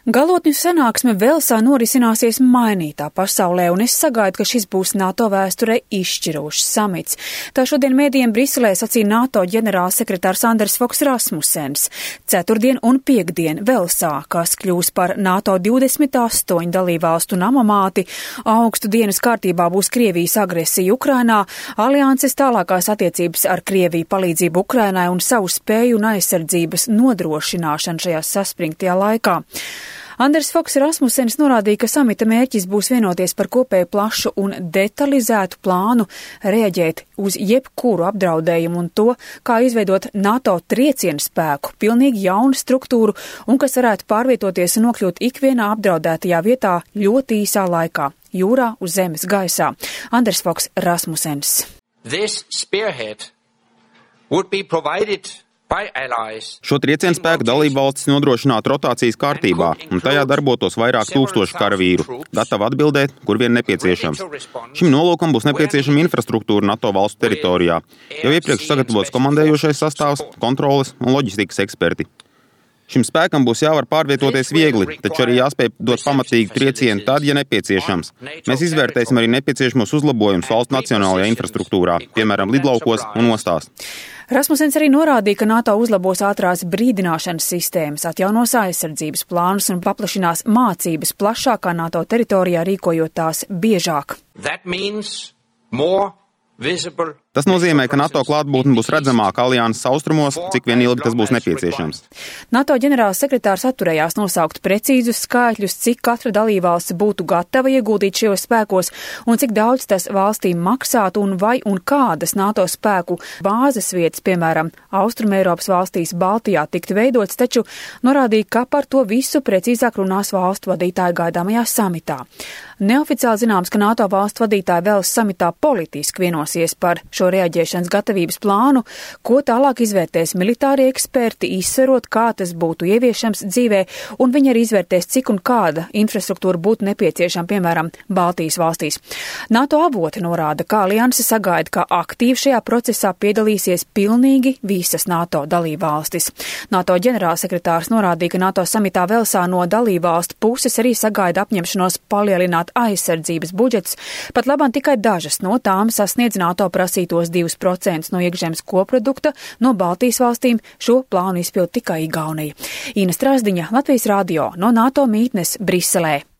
Galotņu sanāksme Velsā norisināsies mainītā pasaulē, un es sagaidu, ka šis būs NATO vēsturē izšķirošs samits. Tā šodien mēdījiem Briselē sacīja NATO ģenerālsekretārs Anders Fogh Rasmussens. Ceturtdien un piekdien Velsā, kas kļūs par NATO 28 dalībvalstu namamāti, augstu dienas kārtībā būs Krievijas agresija Ukrainā, alianses tālākās attiecības ar Krieviju, palīdzību Ukrainai un savu spēju un aizsardzības nodrošināšanu šajā saspringtajā laikā. Anders Fogh Rasmussens norādīja, ka samita mērķis būs vienoties par kopēju plašu un detalizētu plānu reaģēt uz jebkuru apdraudējumu un to, kā izveidot NATO triecienu spēku, pilnīgi jaunu struktūru un kas varētu pārvietoties un nokļūt ikvienā apdraudētajā vietā ļoti īsā laikā - jūrā, uz zemes, gaisā. Anders Fogh Rasmussens. This spearhead would be provided. Šo triecienu spēku dalībvalstis nodrošinātu rotācijas kārtībā, un tajā darbotos vairāk tūkstoši karavīru, gatavi atbildēt, kur vien nepieciešams. Šim nolūkam būs nepieciešama infrastruktūra NATO valstu teritorijā, jau iepriekš sagatavots komandējošais sastāvs, kontroles un loģistikas eksperti. Šim spēkam būs jāvar pārvietoties viegli, taču arī jāspēj dot pamatīgu triecienu tad, ja nepieciešams. Mēs izvērtēsim arī nepieciešamos uzlabojumus valsts nacionālajā infrastruktūrā, piemēram, lidlaukos un ostās. Rasmussens arī norādīja, ka NATO uzlabos ātrās brīdināšanas sistēmas, atjaunos aizsardzības plānus un paplašinās mācības plašākā NATO teritorijā, rīkojot tās biežāk. Tas nozīmē, ka NATO klātbūtne būs redzamāka alianses austrumos, cik vien ilgi tas būs nepieciešams. NATO ģenerālsekretārs atturējās nosaukt precīzus skaitļus, cik katra dalībvalsts būtu gatava ieguldīt šajos spēkos un cik daudz tas valstīm maksātu un vai un kādas NATO spēku bāzes vietas, piemēram, Austrumeiropas valstīs Baltijā, tiktu veidots, taču norādīja, ka par to visu precīzāk runās valstu vadītāji gaidāmajā samitā. Neoficiāli zināms, ka NATO valstu vadītāji vēl samitā politiski vienosies par šo reaģēšanas gatavības plānu, ko tālāk izvērtēs militārie eksperti, izsverot, kā tas būtu ieviešams dzīvē, un viņi arī izvērtēs, cik un kāda infrastruktūra būtu nepieciešama, piemēram, Baltijas valstīs. NATO avoti norāda, ka alianse sagaida, ka aktīvi šajā procesā piedalīsies pilnīgi visas NATO dalībvalstis. NATO ģenerālsekretārs norādīja, ka NATO samitā Velsā no dalībvalstu puses arī sagaida apņemšanos palielināt aizsardzības budžets, pat labāk tikai dažas no tām sasniedz NATO prasītos 2% no iekšzemes koprodukta, no Baltijas valstīm šo plānu izpild tikai Igaunija. Ina Strasdiņa, Latvijas radio, no NATO mītnes Briselē.